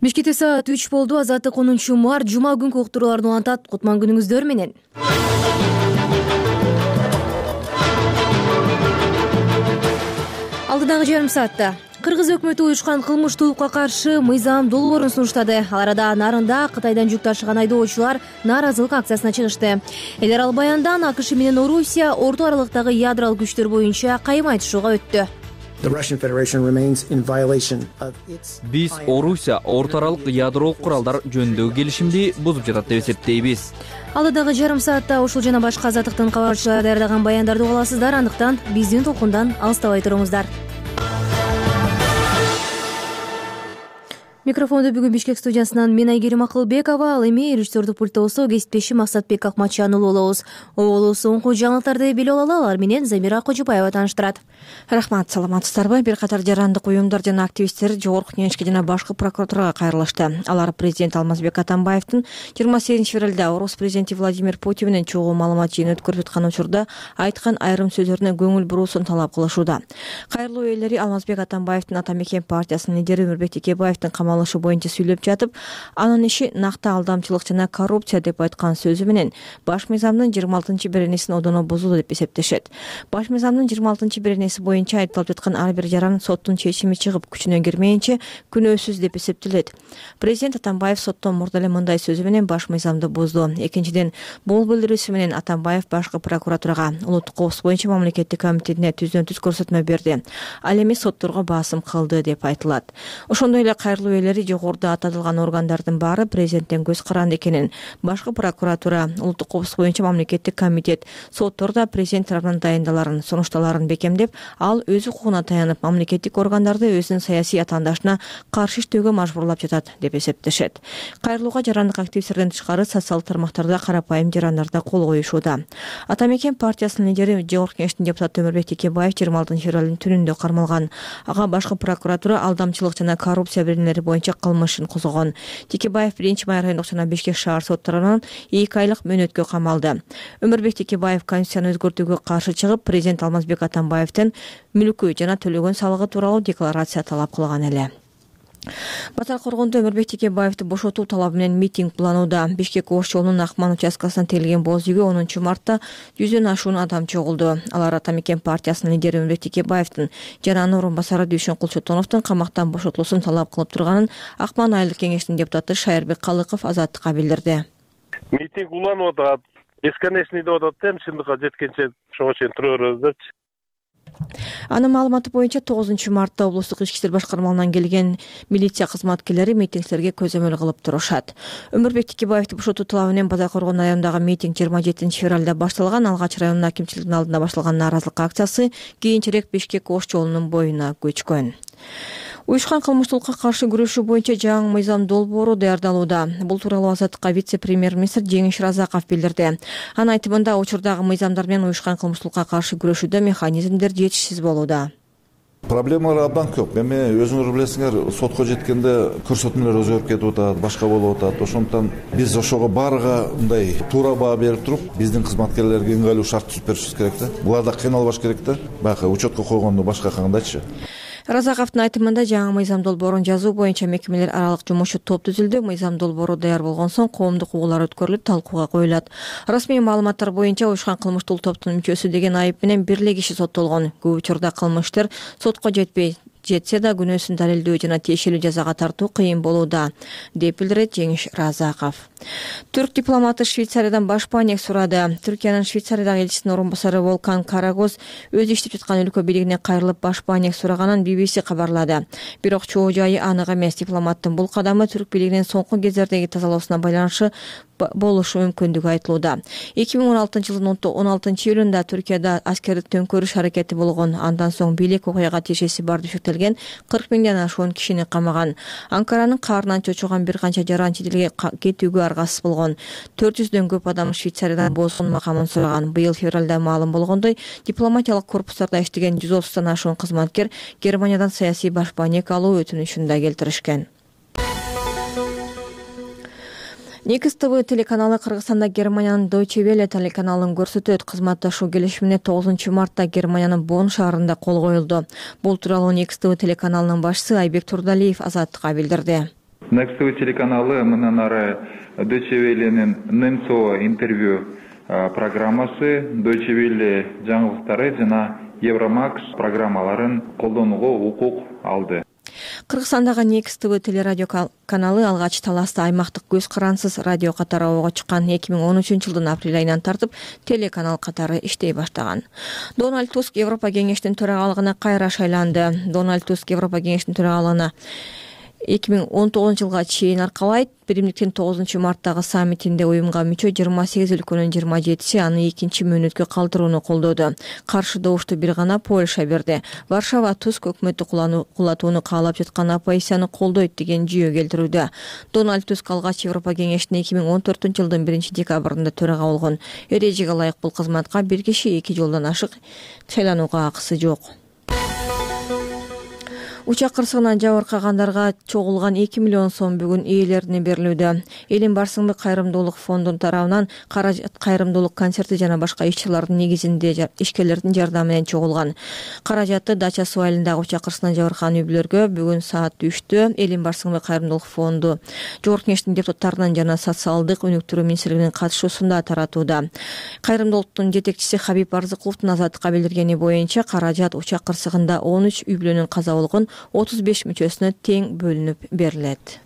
Бишкекте саат 3 болду. Азаттык 10-март жума күнкү уктурууларды улантат. Кутман күнүңүздөр менен. Алдыдагы жарым саатта Кыргыз өкмөтү уюшкан кылмыштуулукка каршы мыйзам долбоорун сунуштады. Ал арада нарында Кытайдан жүк ташыган айдоочулар нааразылык акциясына чыгышты. Элер ал баяндан АКШ менен Орусия орто аралыктагы ядролук күчтөр боюнча кайым айтышууга өттү. Биз Орусия орто аралык ядролук куралдар жөнүндөгү келишимди бузуп жатат деп эсептейбиз. Алдыдагы жарым саатта ушул жана башка азаттыктын кабарчылары даярдаган баяндарды уга аласыздар. Андыктан биздин толкундан алыстабай туруңуздар. Микрофонду бүгүн Бишкек студиясынан мен Айгерим Акылбекова, ал эми режиссердук пультта болсо кесиптешим Максатбек Акматжан болобуз. Оболу соңку жаңылыктарды биле алалы, алар менен Замира Кожубаева тааныштырат. Рахмат, саламатсыздарбы? Бир катар жарандык уюмдар жана активисттер Жогорку Кеңешке жана башкы прокуратурага кайрылышты. Алар президент Алмазбек Атамбаевдин 28-февралда Орус президенти Владимир Путин менен чогуу маалымат жыйын өткөрүп аткан учурда айткан айрым сөздөрүнө көңүл буруусун талап кылышууда. Кайрылуу ээлери Алмазбек Атамбаевдин Ата Мекен партиясынын лидери Өмүрбек Текебаевдин камалышы боюнча сүйлөп жатып, анын иши накта алдамчылык жана коррупция деп айткан сөзү менен баш мыйзамдын 26-беренесин одоно бузууда деп эсептешет. Баш мыйзамдын 26-беренеси боюнча айыпталып жаткан ар бир жаран соттун чечими чыгып күчүнө кирмейинче күнөөсүз деп эсептелет. Президент Атамбаев соттон мурда эле мындай сөзү менен баш мыйзамды бузду. Экинчиден, бул билдирүүсү менен Атамбаев башкы прокуратурага, улуттук коопсуздук боюнча мамлекеттик комитетине түздөн-түз көрсөтмө берди. Ал эми сотторго басым кылды деп айтылат. Ошондой эле кайрылуу ээлери жогоруда аталган органдардын баары президенттен көз каранды экенин, башкы прокуратура, улуттук коопсуздук боюнча мамлекеттик комитет, соттор да президент тарабынан дайындаларын, сунушталарын бекемдеп, ал өз укугуна таянып, мамлекеттик органдарды өзүнүн саясий атаандашына каршы иштөөгө мажбурлап жатат деп эсептешет. Кайрылууга жарандык активисттерден тышкары социалдык тармактарда карапайым жарандар да кол коюшууда. Ата Мекен партиясынын лидери Жогорку Кеңештин депутаты Өмүрбек Текебаев 26-февралдын түнүндө кармалган. Ага башкы прокуратура алдамчылык жана коррупция беренелери боюнча кылмыш ишин козгогон. Текебаев 1-май райондук жана Бишкек шаар соттарынан 2 айлык мөөнөткө камалды. Өмүрбек Текебаев конституцияны өзгөртүүгө каршы чыгып, президент Алмазбек Атамбаевден мүлкү жана төлөгөн салыгы тууралуу декларация талап кылган эле. Батар Коргондо Өмүрбек Текебаевди бошотуу талабы менен митинг планууда. Бишкек Ош жолунун Акман участкасынан тегилген боз үйгө 10-мартта 100дөн ашуун адам чогулду. Алар Ата Мекен партиясынын лидери Өмүрбек Текебаевдин жана анын орун басары Дүйшөн Кулчотоновдун камактан бошотулуусун талап кылып турганын Акман айылдык кеңешинин депутаты Шайырбек Калыков Азаттыкка билдирди. Митинг уланып атат, бесконечный деп атат, чындыкка жеткенче ошого чейин тура беребиз депчи. Анын маалыматы боюнча 9-мартта облустук ички иштер башкармалынан келген милиция кызматкерлери митингчилерге көзөмөл кылып турушат. Өмүрбек Текебаевди бошотуу талабы менен Батар Коргон районундагы митинг 27-февралда башталган. Алгач районун акимчилигинин алдында башталган нааразылык акциясы кийинчерээк Бишкек Ош жолунун боюна көчкөн. Уюшкан кылмыштуулукка каршы күрөшүү боюнча жаңы мыйзам долбоору даярдалууда. Бул тууралуу Азаттыкка вице-премьер-министр Жеңиш Разаков билдирди. Анын айтымында, учурдагы мыйзамдар менен уюшкан кылмыштуулукка каршы күрөшүүдө механизмдер жетишсиз болууда. Проблемалар абдан көп. Эми өзүңөр билесиңер, сотко жеткенде көрсөтмөлөр өзгөрүп кетип атат, башка болуп атат. Ошондуктан биз ошого баарыга мындай туура баа берип туруп, биздин кызматкерлерге ыңгайлуу шарт түзүп беришибиз керек да. Булар да кыйналбаш керек да. Баягы учетко койгондо башка кандайчы? Разаковдун айтымында жаңы мыйзам долбоорун жазуу боюнча мекемелер аралык жумушчу топ түзүлдү. Мыйзам долбоору даяр болгон соң коомдук угуулар өткөрүлүп, талкууга коюлат. Расмий маалыматтар боюнча уюшкан кылмыштуулук топтун мүчөсү деген айып менен 1 киши соттолгон. Көп учурда кылмыштар сотко жетсе да күнөөсүн далилдөө жана тиешелүү жазага тартуу кыйын болууда, деп билдирет Жеңиш Разаков. Түрк дипломаты Швейцариядан баш паек сурады. Түркиянын Швейцариядагы элчисинин орун басары Волкан Карагоз өзү иштеп жаткан өлкө бийлигине кайрылып баш паек сураганын BBC кабарлады. Бирок чоо жайы анык эмес. Дипломаттын бул кадамы түрк бийлигинин соңку кездердеги тазалоосуна байланышы болушу мүмкүндүгү айтылууда. 2016-жылдын 16-июлунда Түркияда аскердик төңкөрүш аракети болгон. Андан соң бийлик окуяга тиешеси бар деп шектелген 40 миңден ашуун кишини камаган. Анкаранын каарынан чочуган бир канча жаран чет элге кетүүгө аргасыз болгон. 400дөн көп адам Швейцариядан босгон макамын сураган. Быйыл февралда маалым болгондой, дипломатиялык корпустарда иштеген 130тан ашуун кызматкер Германиядан саясий баш паек алуу өтүнүшүн да келтиришкен. Некс ТВ телеканалы Кыргызстанда Германиянын Deutsche Welle телеканалын көрсөтөт. Кызматташуу келишимине 9-мартта Германиянын Бонн шаарында кол коюлду. Бул тууралуу Некс ТВ телеканалынын башчысы Айбек Турдалиев Азаттыкка билдирди. Next телеканалы мындан ары Deutsche Welle'нин Немцова интервью программасы, Deutsche Welle жаңылыктары жана Евромакс программаларын колдонууга укук алды. Кыргызстандагы Next TV телерадио каналы алгач таласта аймактык көз карансыз радио катары ого чыккан 2013-жылдын апрель айынан тартып телеканал катары иштей баштаган. Дональд Туск Европа кеңешинин төрагалыгына кайра шайланды. Дональд Туск Европа кеңешинин төрагалыгына 2019-жылга чейин аркалайт. Биримдиктин 9-марттагы саммитинде уюмга мүчө 28 өлкөнүн 27си аны 2 мөөнөткө калтырууну колдоду. Каршы добушту бир гана Польша берди. Варшава Туск өкмөттү кулатууну каалап жаткан оппозицияны колдойт деген жүйө келтирүүдө. Дональд Туск алгач Европа кеңешине 2014-жылдын 1-декабрында төрага болгон. Эрежеге ылайык бул кызматка бир киши 2 жолдон ашык шайланууга акысы жок. Учак кырсыгынан жабыркагандарга чогулган 2 миллион сом бүгүн ээлерине берилүүдө. Элин барсыңбы кайрымдуулук фондунун тарабынан каражат кайрымдуулук концерти жана башка иш-чаралардын негизинде ишкерлердин жардамы менен чогулган. Каражатты Дача суу айылындагы учак кырсыгынан жабыркаган үй-бүлөлөргө бүгүн саат 3-тө Элин барсыңбы кайрымдуулук фонду Жогорку Кеңештин депутаттарынан жана социалдык өнүктүрүү министрлигинин катышуусунда таратууда. Кайрымдуулуктун жетекчиси Хабиб Арзыкуловдун Азаттыкка билдиргени боюнча каражат учак кырсыгында 13 үй-бүлөнүн каза болгон 35 мүчөсүнө тең бөлүнүп берилет.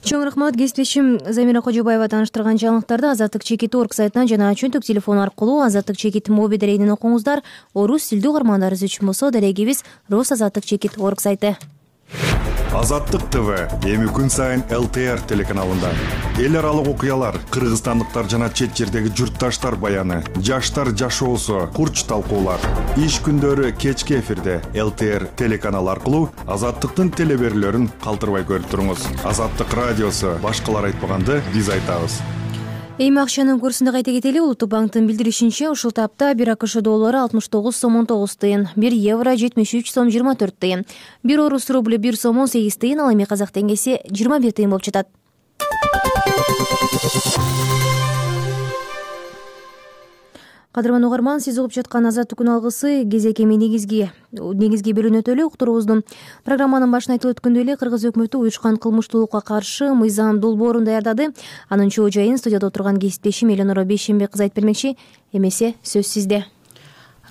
Чоң рахмат. Кесиптешим Замира Кожобаева тааныштырган жаңылыктарды Азаттык чекит орг сайтынан жана чөнтөк телефон аркылуу Азаттык чекит моби дарегинен окуңуздар. Орус тилдүү угармандарыбыз үчүн болсо дарегибиз Рус Азаттык чекит орг сайты. Азаттык ТВ эми күн сайын ЛТР телеканалында эл аралык окуялар, кыргызстандыктар жана чет жердеги журтташтар баяны, жаштар жашоосу, курч талкуулар. Иш күндөрү кечки эфирде ЛТР телеканалы аркылуу Азаттыктын телеберүүлөрүн калтырбай көрүп туруңуз. Азаттык радиосу башкалар айтпаганды биз айтабыз. Эми акчанын курсунда кайта кетели. Улуттук банктын билдиришинче, ушул тапта 1 АКШ доллары 69 сом 19 тыйын, 1 евро 73 сом 24 тыйын, 1 орус рубль 1 сом 18 тыйын, ал эми казак теңгеси 21 тыйын болуп жатат. Кадырман угарман, сиз угуп жаткан Азаттык күн алгысы кезек эми негизги бөлүнүп өтөлү. Уктуруубуздун программанын башында айтып өткөндөй эле Кыргыз өкмөтү уюшкан кылмыштуулукка каршы мыйзам долбоорун даярдады. Анын чоо жайын студияда отурган кесиптешим Элеонора Бейшенбек кыз айтып бермекчи. Эмесе сөз сизде.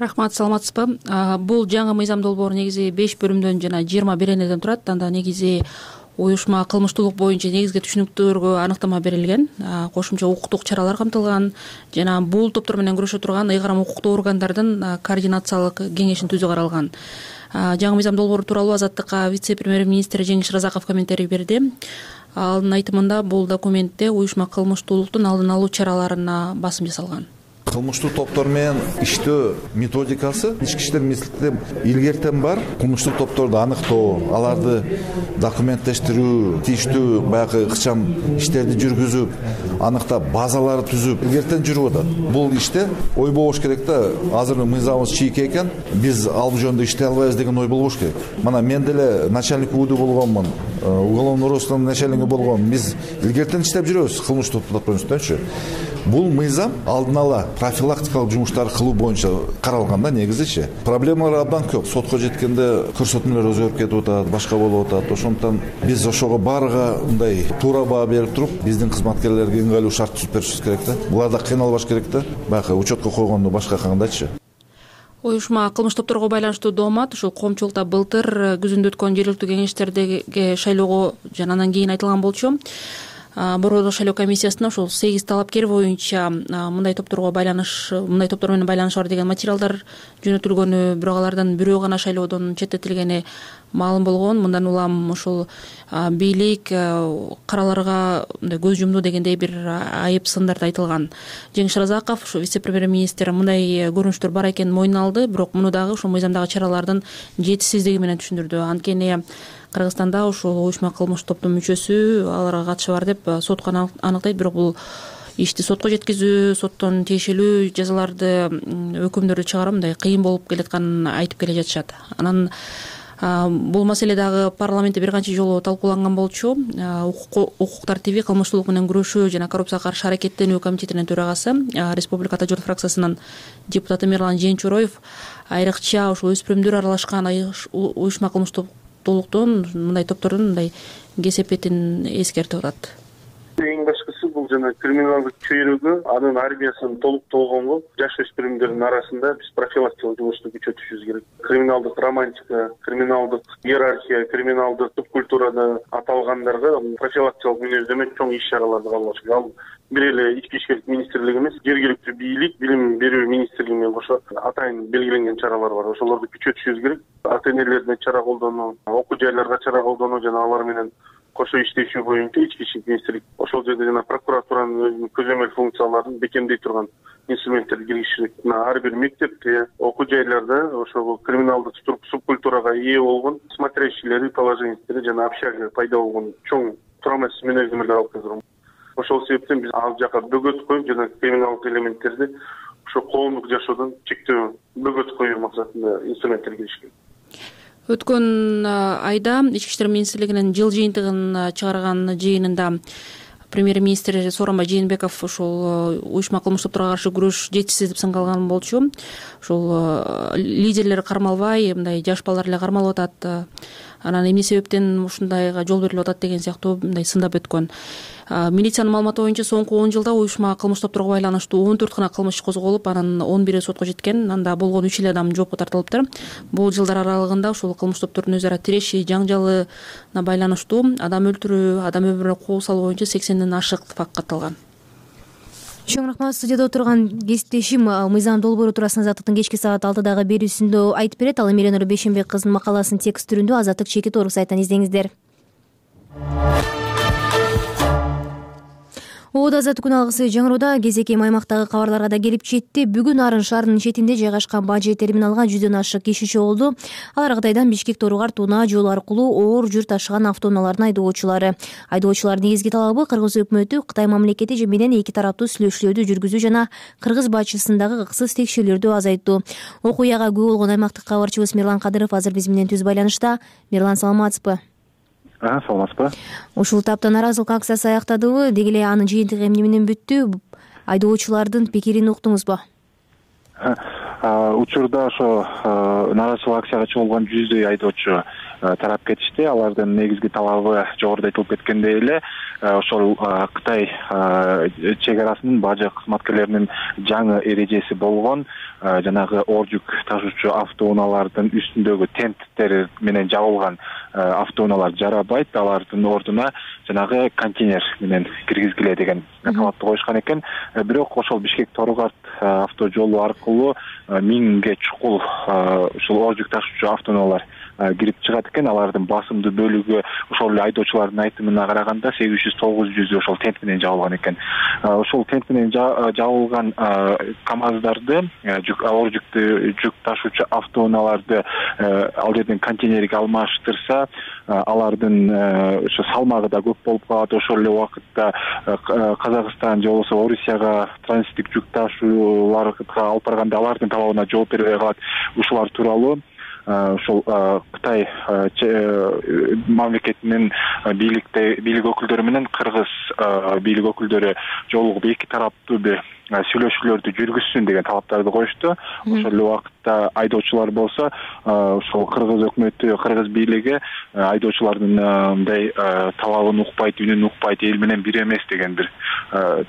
Рахмат, саламатсызбы? Бул жаңы мыйзам долбоору негизи 5 бөлүмдөн жана 20 беренеден турат. Анда негизи уюшма кылмыштуулук боюнча негизги түшүнүктөргө аныктама берилген, кошумча укуктук чаралар камтылган жана бул топтор менен күрөшө турган ыйгарым укуктуу органдардын координациялык кеңешин түзүү каралган. Жаңы мыйзам долбоору тууралуу Азаттыкка вице-премьер-министр Жеңиш Разаков комментарий берди. Анын айтымында бул документте уюшма кылмыштуулуктун алдын алуу чараларына басым жасалган. Кылмыштуу топтор менен иштөө методикасы ички иштер министрликте илгертен бар. Кылмыштуу топторду аныктоо, аларды документтештирүү, тийиштүү баягы ыкчам иштерди жүргүзүп, аныктап базаларды түзүп илгертен жүрүп атат. Бул иште ой болбош керек да, азыр мыйзамыбыз чийик экен, биз ал жөнүндө иштей албайбыз деген ой болбош керек. Мына мен деле начальник УД болгонмун, уголовный розыскнын начальниги болгом. Биз илгертен иштеп жүрөбүз кылмыштуу топтор үстүнчү. Бул мыйзам алдын ала профилактикалык жумуштарды кылуу боюнча каралганда негизичи. Проблемалар абдан көп. Сотко жеткенде көрсөтмөлөр өзгөрүп кетип атат, башка болуп атат. Ошондуктан биз ошого баарыга мындай туура баа берип туруп, биздин кызматкерлерге ыңгайлуу шарт түзүп беришибиз керек да. Буларда кыйналбаш керек да. Баягы учетко койгонду башка кандайчы. Уюшма кылмыш топторго байланыштуу доомат ушул коомчулукта былтыр күзүндө өткөн жергиликтүү кеңештердеги шайлоого жана андан кийин айтылган болчу. Бородо шайлоо комиссиясына ушул 8 талапкер боюнча мындай топтор менен байланыш бар деген материалдар жөнөтүлгөнү, бирок алардан бирөө гана шайлоодон четтетилгени маалым болгон. Мындан улам ушул бийлик караларга көз жумду дегендей бир айып сындар айтылган. Жеңиш Разаков, ушу вице-премьер-министр, мындай көрүнүштөр бар экенин мойнуна алды, бирок муну дагы ушул мыйзамдагы чаралардын жетишсиздиги менен түшүндүрдү. Анткени Кыргызстанда ушул уюшма кылмыш топтун мүчөсү аларга катышы бар деп сотко аныктайт, бирок бул ишти сотко жеткизүү, соттон тиешелүү жазаларды, өкүмдөрдү чыгаруу мындай кыйын болуп келатканын айтып келе жатышат. Анан бул маселе дагы парламентте бир канча жолу талкууланган болчу. Укук тартиби, кылмыштуулук менен күрөшүү жана коррупцияга каршы аракеттенүү комитетинин төрагасы, Республика Журт фракциясынын депутаты Мирлан Жээнчуроев айрыкча ушул өспүрүмдөр аралашкан уюшма кылмыштуу толуктон мындай топтордун мындай кесепетин эскертип атат. Эң башкысы бул жана криминалдык чөйрөгө анын армиясын толук болгонго жаш өспүрүмдөрдүн арасында биз профилактикалык жумушту күчөтүшүбүз керек. Криминалдык романтика, криминалдык иерархия, криминалдык субкультурада аталгандарга профилактикалык мүнөздөмө чоң иш-чараларды кабыл керек. Ал бир эле ички иштер министрлиги эмес, жергиликтүү бийлик, билим берүү министрлиги менен кошо атайын белгиленген чаралар бар. Ошолорду күчөтүшүбүз керек. Ата-энелердин чара колдонуу, окуу жайларга чара колдонуу жана алар менен кошо иштешүү боюнча ички иштер министрлиги ошол жерде жана прокуратуранын өзүнүн көзөмөл функцияларын бекемдей турган инструменттерди киргизиши. Ар бир мектепте, окуу жайларда ошол криминалдык субкультурага ээ болгон смотрящийлери, положенецтери жана общага пайда болгон чоң турамасыз мүнөздөмөлөр алып келген. Ошол себептен биз ал жака бөгөт коюп жана криминалдык элементтерди ошо коомдук жашоодон чектөө, бөгөт коюу максатында инструменттер киришкен. Өткөн айда Ички иштер министрлигинин жыл жыйынтыгын чыгарган жыйынында премьер-министр Сооронбай Жээнбеков ушул уюшма кылмыш топторго каршы күрөш жетишсиз деп сынгалган болчу. Ушул лидерлер кармалбай, мындай жаш балдар эле кармалып атат. Анан эмне себептен ушундайга жол берилип атат деген сыяктуу мындай сындап өткөн. Милициянын маалыматы боюнча соңку 10 жылда уюшма кылмыш топторго байланыштуу 14 гана кылмыш козголуп, анын 11 сотко жеткен, анда болгон 3 эле адам жоопко тартылыптыр. Бул жылдар аралыгында ушул кылмыш топторунун өз ара тиреши, жаңжалына байланыштуу адам өлтүрүү, адам өмүрүнө кол салуу боюнча 80ден ашык факт катталган. Чоң рахмат. Студияда отурган кесиптешим Мыйзам Долбоору туурасында Азаттыктын кечки саат 6дагы берүүсүндө айтып берет. Ал эми Эленора Бейшенбек кызынын макаласын текст түрүндө Азаттык чекит орг сайтынан издеңиздер. Оода азаттык күн алгысы жаңыроодо кезекем аймактагы кабарларга да келип жетти. Бүгүн Арын шаарынын четинде жайгашкан бажы терминалга 100дөн ашык киши чогулду. Алар Кытайдан Бишкек Торугар Тууна жол аркылуу оор жүк ташыган автоунаалардын айдоочулары. Айдоочулардын негизги талабы Кыргыз өкмөтү Кытай мамлекети менен эки тараптуу сүйлөшүүлөрдү жүргүзүү жана Кыргыз бачысындагы ыксыз текшерүүлөрдү азайтуу. Окуяга күбө болгон аймактык кабарчыбыз Мирлан Кадыров азыр биз менен түз байланышта. Мирлан, саламатсызбы? Саламатсызбы. Ушул тапта нааразылык акциясы аяктадыбы? Деги эле анын жыйынтыгы эмне менен бүттү? Айдоочулардын пикирин уктуңузбу? Учурда ошо нааразылык акцияга чыгылган 100дөй айдоочу тарап кетишти. Алардын негизги талабы жогоруда айтылып кеткендей эле ошол Кытай чек арасынын бажы кызматкерлеринин жаңы эрежеси болгон жанагы оор жүк ташуучу автоунаалардын үстүндөгү тенттер менен жабылган автоунаалар жарабайт, алардын ордуна жанагы контейнер менен киргизгиле деген талапты коюшкан экен. Бирок ошол Бишкек Торугар автожолу аркылуу 1000ге чукул ушул оор жүк ташуучу автоунаалар кирип чыгат экен. Алардын басымдуу бөлүгү ошол эле айдоочулардын айтымына караганда 800-900 ошол тент менен жабылган экен. Ошол тент менен жабылган КАМАЗдарды, оор жүк ташуучу автоунааларды ал жерден контейнерге алмаштырса, алардын ошо салмагы да көп болуп калат. Ошол эле убакытта Казакстан же болбосо Орусияга транзиттик жүк ташууларга алып барганда алардын талабына жооп бербей калат. Ушулар тууралуу ошол Кытай мамлекетинин бийлик өкүлдөрү менен Кыргыз бийлик өкүлдөрү жолугуп эки тараптуу бир сүйлөшүүлөрдү жүргүзсүн деген талаптарды коюшту. Ошол эле убакытта айдоочулар болсо ошол Кыргыз өкмөтү, Кыргыз бийлиги айдоочулардын мындай талабын укпайт, үнүн укпайт, эл менен бир эмес деген бир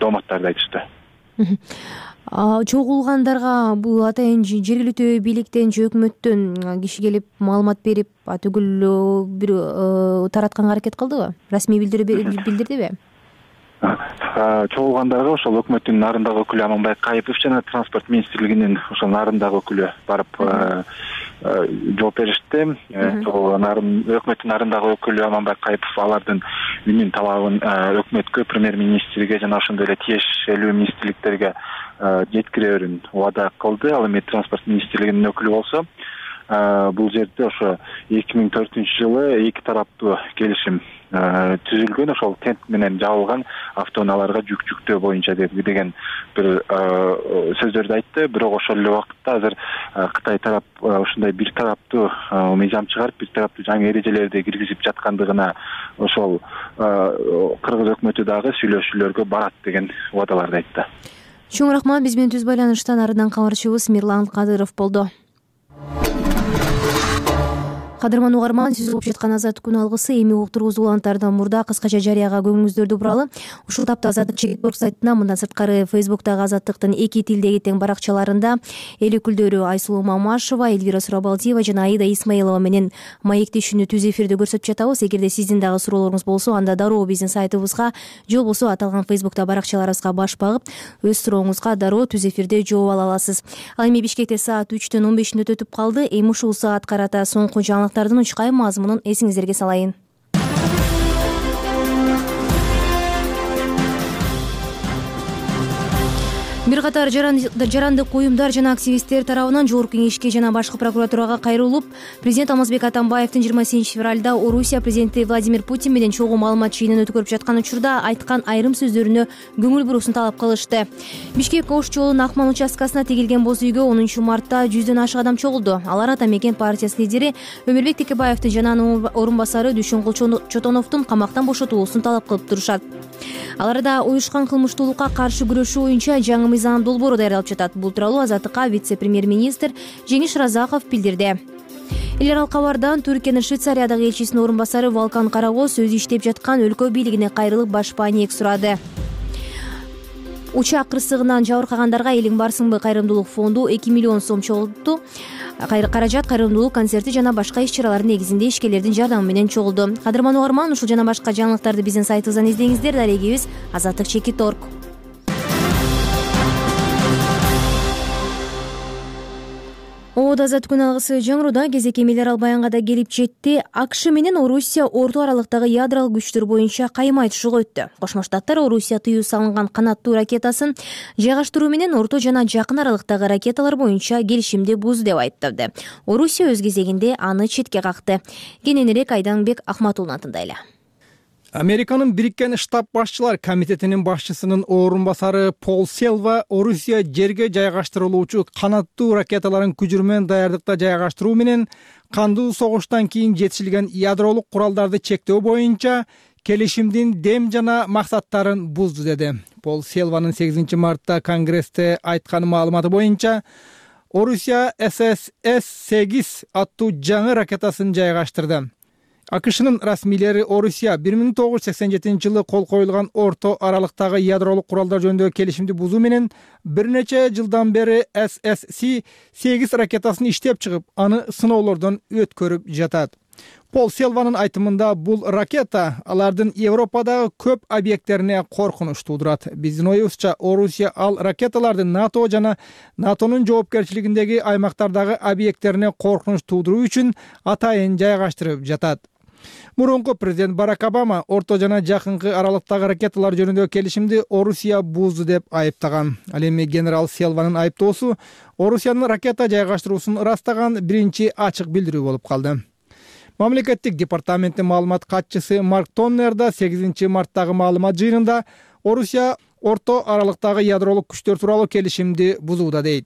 дооматтарды айтышты. Чогулгандарга бул атайын жергиликтүү бийликтен же өкмөттөн киши келип маалымат берип, түгүл бир таратканга аракет кылдыбы? Расмий билдирдиби? Чогулгандарга ошол өкмөттүн нарындагы өкүлү Аманбай Кайыпов жана транспорт министрлигинин ошол нарындагы өкүлү барып жооп беришти. Өкмөттүн нарындагы өкүлү Аманбай Кайыпов алардын үнүн, талабын өкмөткө, премьер-министрге жана ошондой эле тиешелүү министрликтерге жеткирерин убада кылды. Ал эми транспорт министрлигинин өкүлү болсо, бул жерде ошо 2004-жылы эки тараптуу келишим түзүлгөн. Ошол тент менен жабылган автоунааларга жүк жүктөө боюнча деген бир сөздөрдү айтты. Бирок ошол эле убакытта азыр Кытай тарап ушундай бир тараптуу мыйзам чыгарып, бир тараптуу жаңы эрежелерди киргизип жаткандыгына ошол Кыргыз өкмөтү дагы сүйлөшүүлөргө барат деген убадаларды айтты. Чоң рахмат. Биз менен түз байланыштан арыдан кабарчыбыз Мирлан Кадыров болду. Кадырман угарман, сиз угуп жаткан Азаттык күн алгысы эми уктургузуу уланттардан мурда кыскача жарыяга көңүлүңүздөрдү буралы. Ушул тапта Азаттык чекит сайтына, мындан сырткары Фейсбуктагы Азаттыктын 2 тилдеги тең баракчаларында эл өкүлдөрү Айсулуу Мамашева, Эльвира Сурабалдиева жана Аида Исмаилова менен маектешүүнү түз эфирде көрсөтүп жатабыз. Эгерде сиздин дагы суроолоруңуз болсо, анда дароо биздин сайтыбызга же болбосо аталган Фейсбукта баракчаларыбызга баш багып, өз сурооңузга дароо түз эфирде жооп ала аласыз. Ал эми Бишкекте саат 3төн 15 мүнөт өтүп калды. Эми ушул саат карата соңку жаңылыктардын учкай мазмунун эсиңиздерге салайын. Бир катар жарандык уюмдар жана активисттер тарабынан Жогорку Кеңешке жана башкы прокуратурага кайрылып, президент Алмазбек Атамбаевдин 28-февралда Орусия президенти Владимир Путин менен чогуу маалымат жыйынын өткөрүп жаткан учурда айткан айрым сөздөрүнө көңүл бурууусун талап кылышты. Бишкек Ош жолунун Акман участкасына тигилген боз үйгө 10 мартта 100дөн ашык адам чогулду. Алар Ата Мекен партиясы лидери Өмүрбек Текебаевдин жана анын орун басары Дүйшөнгул Чотоновдун камактан бошотулуусун талап кылып турушат. Аларда уюшкан кылмыштуулукка каршы күрөшүү боюнча жаңы мыйзам долбоору даярдалып жатат. Бул тууралуу Азаттыкка вице-премьер-министр Жеңиш Разаков билдирди. Эл аралык кабардан Түркиянын Швейцариядагы элчисинин орун басары Валкан Карагоз өзү иштеп жаткан өлкө бийлигине кайрылып башпа ниек сурады. Учак кырсыгынан жабыркагандарга элиң барсыңбы кайрымдуулук фонду 2 миллион сом чогулту. Каражат кайрымдуулук концерти жана башка иш-чаралардын негизинде ишкерлердин жардамы менен чогулду. Кадырман угарман, ушул жана башка жаңылыктарды биздин сайтыбыздан издеңиздер. Дарегибиз azattikchekit.org. Азаттык күн алгысы жаңыруда кезекти эл аралык баянга да келип жетти. АКШ менен Орусия орто аралыктагы ядролук күчтөр боюнча кайма айтышууга өттү. Кошмо Штаттар Орусия тыюу салынган канаттуу ракетасын жайгаштыруу менен орто жана жакын аралыктагы ракеталар боюнча келишимди бузду деп айыптады. Орусия өз кезегинде аны четке какты. Кененирээк Айданбек Ахматуллуна тындайлы. Американын Бириккен Штат башчылар комитетинин башчысынын орун басары Пол Селва Орусия жерге жайгаштырылуучу канаттуу ракеталарын күжүрмөн даярдыкта жайгаштыруу менен кандуу согуштан кийин жетишилген ядролук куралдарды чектөө боюнча келишимдин дем жана максаттарын бузду деди. Пол Селванын 8 мартта Конгрессте айткан маалыматы боюнча Орусия ССС-8 аттуу жаңы ракетасын жайгаштырды. АКШнын расмийлери Орусия 1987-жылы кол коюлган орто аралыктагы ядролук куралдар жөнүндөгү келишимди бузуу менен бир нече жылдан бери ССС-8 ракетасын иштеп чыгып, аны сыноолордон өткөрүп жатат. Пол Селванын айтымында бул ракета алардын Европадагы көп объекттерине коркунуч туудурат. Биздин оюбузча Орусия ал ракеталардын НАТО жана НАТОнун жоопкерчилигиндеги аймактардагы объекттерине коркунуч туудуруу үчүн атайын жайгаштырып жатат. Мурунку президент Барак Обама орто жана жакынкы аралыктагы ракеталар жөнүндөгү келишимди Орусия бузду деп айыптаган. Ал эми генерал Селванын айыптоосу Орусиянын ракета жайгаштыруусун ырастаган биринчи ачык билдирүү болуп калды. Мамлекеттик департаменттин маалымат катчысы Марк Тоннер да 8 марттагы маалымат жыйынында Орусия орто аралыктагы ядролук күчтөр тууралуу келишимди бузууда дейт.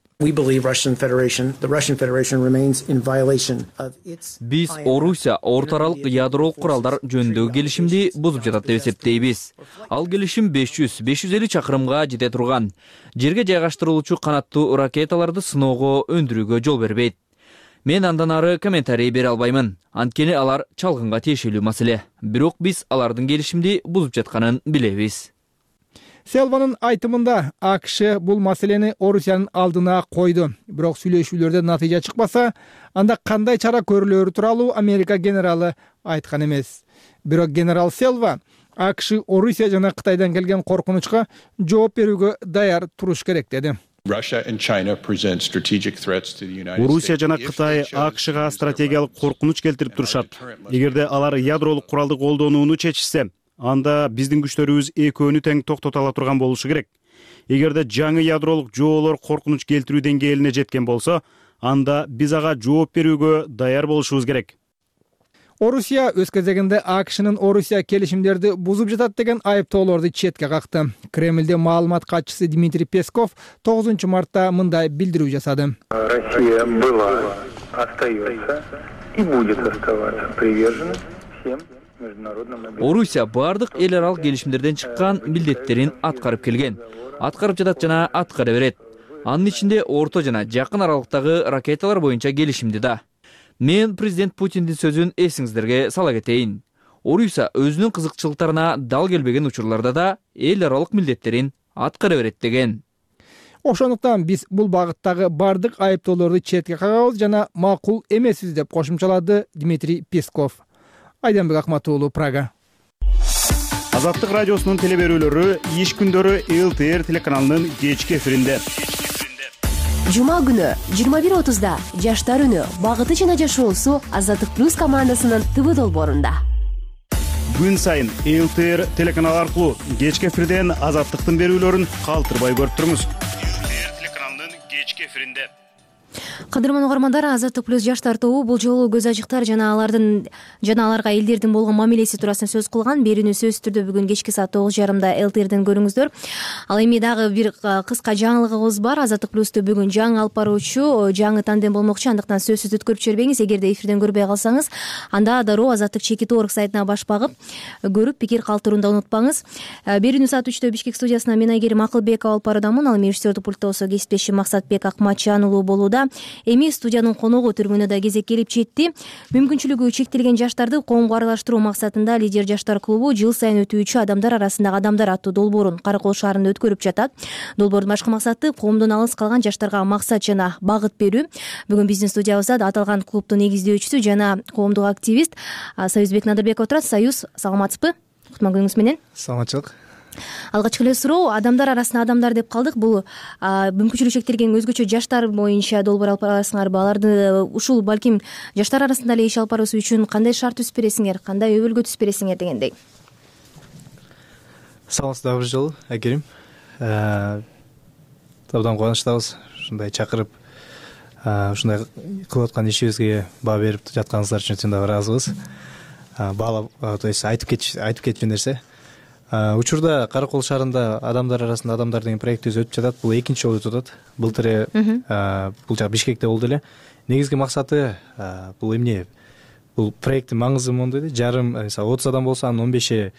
Биз Орусия орто аралык ядролук куралдар жөнүндөгү келишимди бузуп жатат деп эсептейбиз. Ал келишим 500-550 чакырымга жете турган жерге жайгаштырылуучу канаттуу ракеталарды сыноого өндүрүүгө жол бербейт. Мен андан ары комментарий бере албаймын. Анткени алар чалгынга тиешелүү маселе. Бирок биз алардын келишимди бузуп жатканын билебиз. Селванын айтымында АКШ бул маселени Орусиянын алдына койду. Бирок сүйлөшүүлөрдө натыйжа чыкпаса, анда кандай чара көрүлөрү тууралуу Америка генералы айткан эмес. Бирок генерал Селва АКШ Орусия жана Кытайдан келген коркунучка жооп берүүгө даяр туруш керек деди. Орусия жана Кытай АКШга стратегиялык коркунуч келтирип турушат. Эгерде алар ядролук куралды колдонууну чечишсе, анда биздин күчтөрүбүз экөөнү тең токтото ала турган болушу керек. Эгерде жаңы ядролук жоолор коркунуч келтирүү деңгээлине жеткен болсо, анда биз ага жооп берүүгө даяр болушубуз керек. Орусия өз кезегинде АКШнын Орусия келишимдерди бузуп жатат деген айыптоолорду четке какты. Кремлде маалымат катчысы Дмитрий Песков 9 мартта мындай билдирүү жасады. Россия была, остается и будет оставаться привержена всем международным обязательствам. Орусия бардык эл аралык келишимдерден чыккан милдеттерин аткарып келген. Аткарып жатат жана аткара берет. Анын ичинде орто жана жакын аралыктагы ракеталар боюнча келишимди да. Мен президент Путиндин сөзүн эсиңиздерге сала кетейин. Орусия өзүнүн кызыкчылыктарына дал келбеген учурларда да эл аралык милдеттерин аткара берет деген. Ошондуктан биз бул багыттагы бардык айыптоолорду четке кагабыз жана макул эмеспиз деп кошумчалады Дмитрий Песков. Айданбек Акматуулу, Прага. Азаттык радиосунун телеберүүлөрү иш күндөрү ЛТР телеканалынын кечки эфиринде. Жума күнү 21:30да Жаштар үнү багыты жана жашоосу Азаттык плюс командасынын ТВ долбоорунда. Күн сайын ЛТР телеканалы аркылуу кечки эфирден Азаттыктын берүүлөрүн калтырбай көрүп туруңуз. ЛТР телеканалынын кечки эфиринде. Кадырман угармандар, Азаттык плюс жаштар тобу бул жолу көз ачыктар жана аларга элдердин болгон мамилеси туурасында сөз кылган. Берүүнү сөзсүз түрдө бүгүн кечки саат 9:30 ЛТРден көрүңүздөр. Ал эми дагы бир кыска жаңылыгыбыз бар. Азаттык плюсту бүгүн жаңы алып баруучу, жаңы тандем болмокчу, андыктан сөзсүз өткөрүп жибербеңиз. Эгерде эфирден көрбөй калсаңыз, анда дароо Азаттык.org сайтына баш багып көрүп пикир калтырууну унутпаңыз. Берүүнү саат 3-тө Бишкек студиясынан мен Айгерим Акылбекова алып баруудамын. Ал эми режиссердик пультта болсо кесиптешим Максатбек Акматжан уулу болууда. Эми студиянын коногу түрмөнү да кезек келип жетти. Мүмкүнчүлүгү чектелген жаштарды коомго аралаштыруу максатында Лидер жаштар клубу жыл сайын өтүүчү адамдар арасындагы адамдар аттуу долбоорун Каракол шаарында өткөрүп жатат. Долбоордун башкы максаты коомдон алыс калган жаштарга максат жана багыт берүү. Бүгүн биздин студиябызда аталган клубдун негиздөөчүсү жана коомдук активист Союзбек Надырбек отурат. Союз, саламатсызбы? Кутман күнүңүз менен. Саламатчылык. Алгачкы эле суроо, адамдар арасында адамдар деп калдык. Бул мүмкүнчүлүгү чектелген өзгөчө жаштар боюнча долбоор алып барасыңарбы? Аларды ушул балким жаштар арасында эле иш алып баруу үчүн кандай шарт түзүп бересиңер, кандай өбөлгө түзүп бересиңер дегендей. Саламатсыздарбы бир жолу, Айгерим. Абдан кубанычтабыз ушундай чакырып, ушундай кылып аткан ишибизге баа берип жатканыңыздар үчүн өтө да ыраазыбыз. Баалап, то есть айтып кетчү нерсе. Учурда Каракол шаарында адамдар арасында адамдар деген проектибиз өтүп жатат. Бул экинчи жолу өтүп атат. Былтыр бул жак Бишкекте болду эле. Негизги максаты бул эмне? Бул проекттин маңызы мондой да. Жарым, 30 адам болсо, анын 15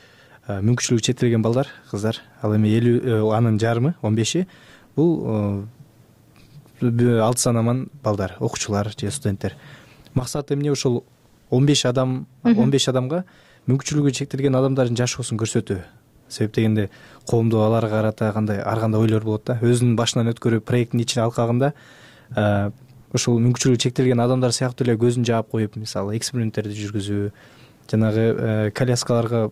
мүмкүнчүлүгү чектелген балдар, кыздар. Ал эми 50, анын жарымы 15 бул 6 санаман балдар, окуучулар же студенттер. Максаты эмне? Ошол 15 адамга мүмкүнчүлүгү чектелген адамдардын жашоосун көрсөтүү. Себеп дегенде коомдо аларга карата ар кандай ойлор болот да. Өзүнүн башынан өткөрүп проекттин ичине алкагында ошол мүмкүнчүлүгү чектелген адамдар сыяктуу эле көзүн жаап коюп, мисалы эксперименттерди жүргүзүү, жанагы коляскаларга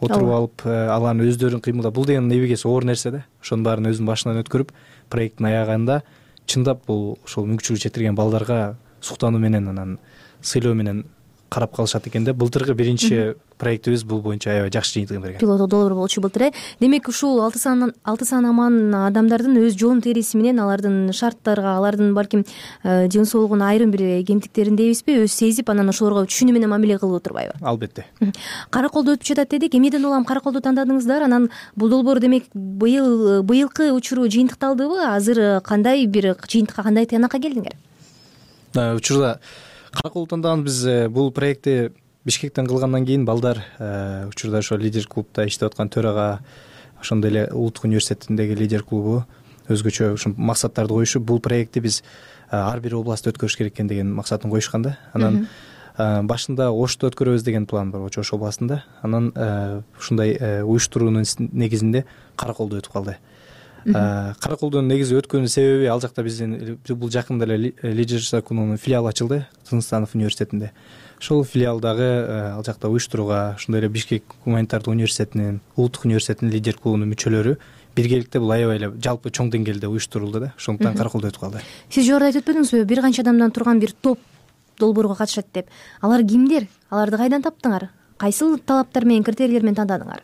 отуруп алып, алардын өздөрүн кыймылдап, бул деген небегеси оор нерсе да. Ошонун баарын өзүнүн башынан өткөрүп, проекттин аягында чындап бул ошол мүмкүнчүлүгү чектелген балдарга суктануу менен, анан сыйлоо менен карап калышат экен да. Былтыркы биринчи проектибиз бул боюнча аябай жакшы жыйынтыгын берген. Пилоттук долбоор болчу былтыр. Демек ушул 6 санаман адамдардын өз жоон териси менен алардын шарттарга, алардын балким жөн соолугуна айрым бир кемтиктерин дейбизби, өз сезип, анан ошолорго түшүнүү менен мамиле кылып отурбайбы? Албетте. Караколдо өтүп жатат дедик. Эмнеден улам Караколду тандадыңыздар? Анан бул долбоор демек быйылкы учуру жыйынтыкталдыбы? Азыр кандай бир жыйынтыкка, кандай тыянакка келдиңер? Учурда Караколду тандаган биз бул проектти Бишкектен кылгандан кийин балдар учурда ошо Лидер клубда иштеп аткан төрага, ошондой эле Улуттук университетиндеги Лидер клубу өзгөчө ушул максаттарды коюшуп, бул проектти биз ар бир областта өткөрүш керек экен деген максатын коюшкан да. Анан башында Ошто өткөрөбүз деген план бар, Ош областында. Анан ушундай уюштуруунун негизинде Караколдо өтүп калды. Караколдун негизи өткөнүнүн себеби, ал жакта биздин бул жакында эле Лидер жаштар клубунун филиалы ачылды Тынчстанов университетинде. Ошол филиалдагы ал жакта уюштурууга ошондой эле Бишкек гуманитардык университетинин, Улуттук университетинин Лидер клубунун мүчөлөрү биргеликте бул аябай эле жалпы чоң деңгээлде уюштурулду да. Ошондуктан Караколдо өтүп калды. Сиз жогоруда айтып өтпөдүңүзбү, бир канча адамдан турган бир топ долбоорго катышат деп? Алар кимдер? Аларды кайдан таптыңар? Кайсыл талаптар менен, критерийлер менен тандадыңар?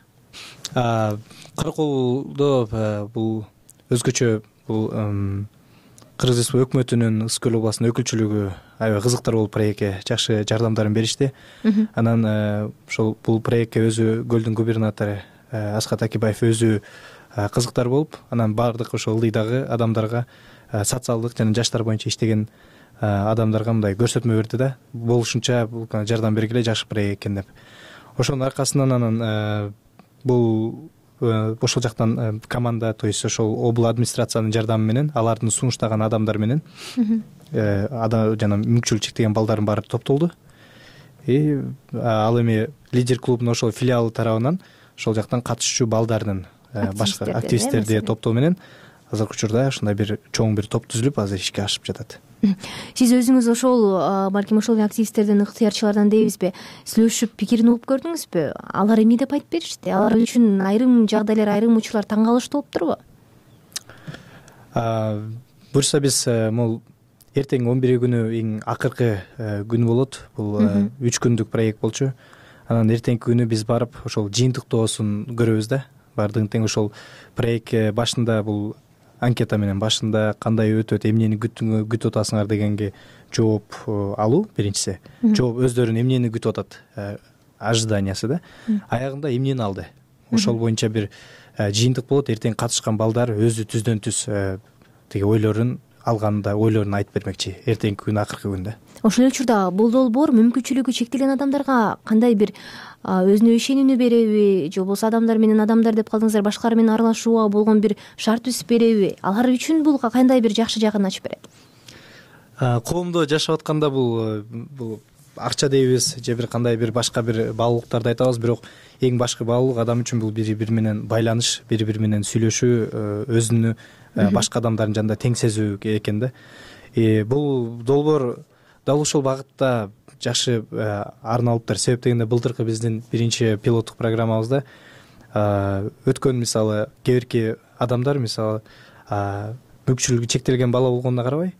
Караколдо бул өзгөчө бул Кыргыз Республика өкмөтүнүн Ысык Көл областынын өкүлчүлүгү аябай кызыктар болуп проектке жакшы жардамдарын беришти. Анан ошол бул проектке өзү Көлдүн губернатору Аскат Акибаев өзү кызыктар болуп, анан баардык ошол ылдыйдагы адамдарга, социалдык жана жаштар боюнча иштеген адамдарга мындай көрсөтмө берди да. Болушунча бул жардам бергиле, жакшы проект экен деп. Ошонун аркасынан анан бул ошол жактан команда, то есть ошол обл администрациянын жардамы менен, алардын сунуштаган адамдар менен жана мүмкүнчүлүгү чектелген балдардын баары топтолду. Ал эми лидер клубунун ошол филиалы тарабынан ошол жактан катышуучу балдардын башка активисттерди топтоо менен азыркы учурда ушундай бир чоң бир топ түзүлүп азыр ишке ашып жатат. Сиз өзүңүз ошол балким ошол активисттердин ыктыярчылардан дейбизби, сүйлөшүп пикирин угуп көрдүңүзбү? Алар эмне деп айтып беришти? Алар үчүн айрым жагдайлар, айрым учурлар таң калыштуу болуптурбу? Буюрса биз могул эртең 11 күнү эң акыркы күн болот. Бул 3 күндүк проект болчу. Анан эртеңки күнү биз барып ошол жыйынтыктоосун көрөбүз да. Бардыгын тең ошол проект башында бул анкета менен башында кандай өтөт, эмнени күтүп атасыңар дегенге жооп алуу биринчиси. Жооп өздөрүн эмнени күтүп атат, ожиданиясы да. Аягында эмнени алды. Ошол боюнча бир жыйынтык болот. Эртең катышкан балдар өзү түздөн түз тиги ойлорун алганда ойлорун айтып бермекчи эртеңки күн акыркы күндө. Ошол эле учурда бул долбоор мүмкүнчүлүгү чектелген адамдарга кандай бир өзүнө ишенимдүү береби, же болбосо адамдар менен адамдар деп калдыңыздар, башкалар менен аралашууга болгон бир шарт түзүп береби? Алар үчүн бул кандай бир жакшы жагын ачып берет? Коомдо жашап атканда бул акча дейбиз же бир кандай бир башка бир баалуулуктарды айтабыз, бирок эң башкы баалуулук адам үчүн бул бири бири менен байланыш, бири бири менен сүйлөшүү, өзүнү башка адамдардын жанында тең сезүү экен да. Бул долбоор дал ушул багытта жакшы арналыптыр. Себеп дегенде былтыркы биздин биринчи пилоттук программабызда өткөн мисалы кээ адамдар мисалы мүмкүнчүлүгү чектелген бала болгонуна карабай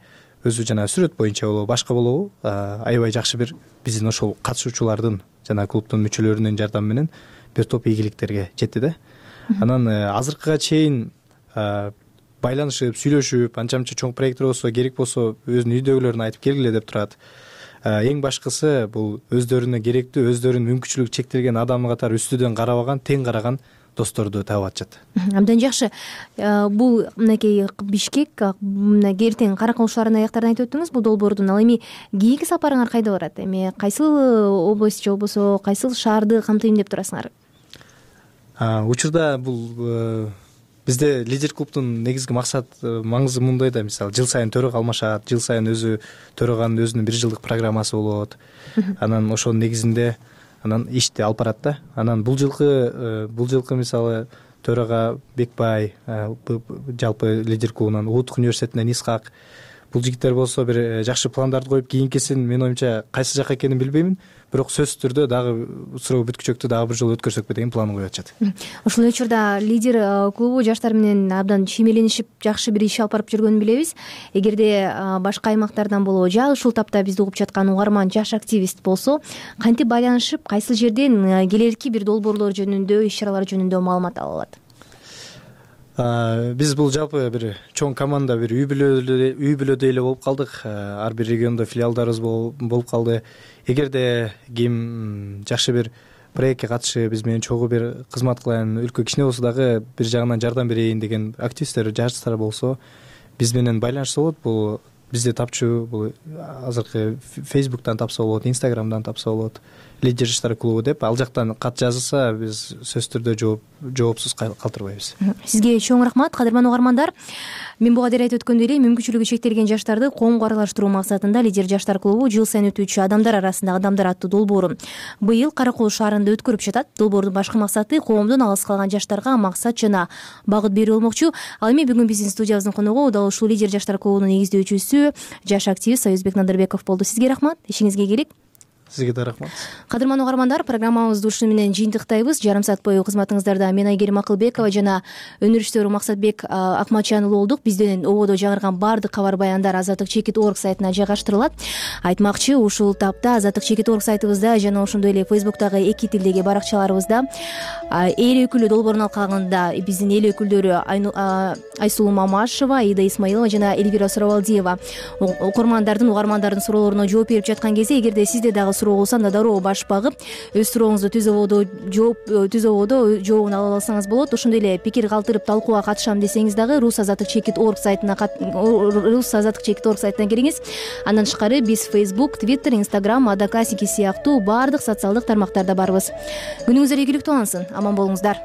өзү жана сүрөт боюнча болобу, башка болобу аябай жакшы бир биздин ошол катышуучулардын жана клубдун мүчөлөрүнүн жардамы менен бир топ ийгиликтерге жетти да. Анан азыркыга чейин байланышып, сүйлөшүп, анча-мынча чоң проекттер болсо, керек болсо өзүнүн үйдөгүлөрүн айтып келгиле деп турат. Эң башкысы бул өздөрүнө керектүү, өздөрүнүн мүмкүнчүлүгү чектелген адам катары үстүдөн карабаган, тең караган досторду таап атышат. Абдан жакшы. Бул мынакей Бишкек, эртең Каракол аяктардан айтып өттүңүз бул долбоордун. Ал эми кийинки сапарыңар кайда барат? Эми кайсыл область же болбосо кайсыл шаарды камтыйм деп турасыңар? Учурда бул бизде лидер клубдун негизги маңызы мындай да, мисалы жыл сайын төрөгө алмашат, жыл сайын өзү төрөгөнүн өзүнүн бир жылдык программасы болот. Анан ошонун негизинде анан ишти алып барат да. Анан бул жылкы мисалы төрага Бекбай, жалпы лидер клубунан Улуттук университетинен Исхак, бул жигиттер болсо бир жакшы пландарды коюп, кийинкисин менин оюмча кайсы жака экенин билбеймин, бирок сөзсүз түрдө дагы суроо бүткүчөктү дагы бир жолу өткөрсөкпү деген планын коюп атышат. Ошол эле учурда лидер клубу жаштар менен абдан чиймеленишип жакшы бир иш алып барып жүргөнүн билебиз. Эгерде башка аймактардан болобу же ушул тапта бизди угуп жаткан угарман жаш активист болсо, кантип байланышып, кайсыл жерден келерки бир долбоорлор жөнүндө, иш-чаралар жөнүндө маалымат ала алат? Биз бул жалпы бир чоң команда, бир үй бүлөдөй эле болуп калдык. Ар бир региондо филиалдарыбыз болуп калды. Эгерде ким жакшы бир проектке катышып, биз менен чогуу бир кызмат кылайын, өлкө кичине болсо дагы бир жагынан жардам берейин деген активисттер, жаштар болсо, биз менен байланышса болот. Бул бизде тапчу, бул азыркы Facebook'тан тапса болот, Instagram'дан тапса болот. Лидер жаштар клубу деп ал жактан кат жазылса, биз сөзсүз түрдө жоопсуз калтырбайбыз. Сизге чоң рахмат, кадырман угармандар. Мен буга дейин айтып өткөндөй эле, мүмкүнчүлүгү чектелген жаштарды коомго аралаштыруу максатында Лидер жаштар клубу жыл сайын өтүүчү адамдар арасындагы адамдар аттуу долбоорун быйыл Каракол шаарында өткөрүп жатат. Долбоордун башкы максаты коомдон алыс калган жаштарга максат жана багыт берүү болмокчу. Ал эми бүгүн биздин студиябыздын коногу дал ушул Лидер жаштар клубунун негиздөөчүсү, жаш активист Союзбек Надырбеков болду. Сизге рахмат, ишиңизге ийгилик. Сизге да рахмат. Кадырман угармандар, программабызды ушуну менен жыйынтыктайбыз. Жарым саат бою кызматыңыздарда мен Айгерим Акылбекова жана өнөрүштөр Максатбек Акматжан уулу болдук. Бизден ободо жаңырган баардык кабар баяндар azatlik.org сайтына жайгаштырылат. Айтмакчы, ушул тапта azatlik.org сайтыбызда жана ошондой эле Facebook'тагы эки тилдеги баракчаларыбызда эл өкүлү долбоорун алкагында биздин эл өкүлдөрү Айсулуу Мамашева, Ида Исмаилова жана Эльвира Суравалдиева окурмандардын, угармандардын суроолоруна жооп берип жаткан кезде, эгерде сизде дагы суроо болсо, анда дароо баш багып өз сурооңузду түз ободо жообун ала алсаңыз болот. Ошондой эле пикир калтырып талкууга катышам десеңиз дагы rusazatlik.org сайтына кириңиз. Андан тышкары биз Facebook, Twitter, Instagram, Одноклассники сыяктуу баардык социалдык тармактарда барбыз. Күнүңүздөр ийгиликтүү улансын, аман болуңуздар.